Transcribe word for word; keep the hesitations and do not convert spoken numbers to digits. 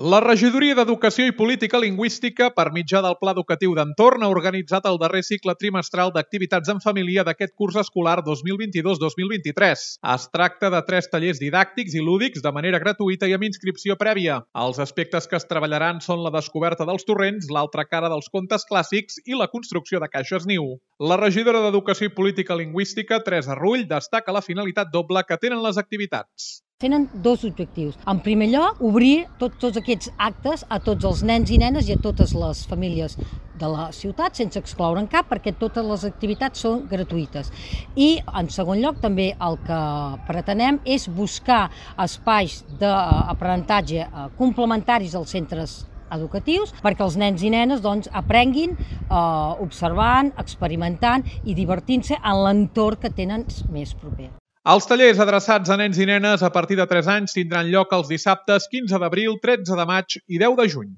La Regidoria d'Educació i Política Lingüística, per mitjà del Pla Educatiu d'Entorn, ha organitzat el darrer cicle trimestral d'activitats en família d'aquest curs escolar dos mil vint-i-dos dos mil vint-i-tres. Es tracta de tres tallers didàctics i lúdics de manera gratuïta i amb inscripció prèvia. Els aspectes que es treballaran són la descoberta dels torrents, l'altra cara dels contes clàssics i la construcció de caixes niu. La regidora d'Educació i Política Lingüística, Teresa Rull, destaca la finalitat doble que tenen les activitats. Tenen dos objectius. En primer lloc, obrir tot, tots aquests actes a tots els nens i nenes i a totes les famílies de la ciutat, sense excloure'n cap, perquè totes les activitats són gratuïtes. I, en segon lloc, també el que pretenem és buscar espais d'aprenentatge complementaris als centres educatius perquè els nens i nenes doncs, aprenguin eh, observant, experimentant i divertint-se en l'entorn que tenen més proper. Els tallers adreçats a nens i nenes a partir de tres anys tindran lloc els dissabtes quinze d'abril, tretze de maig i deu de juny.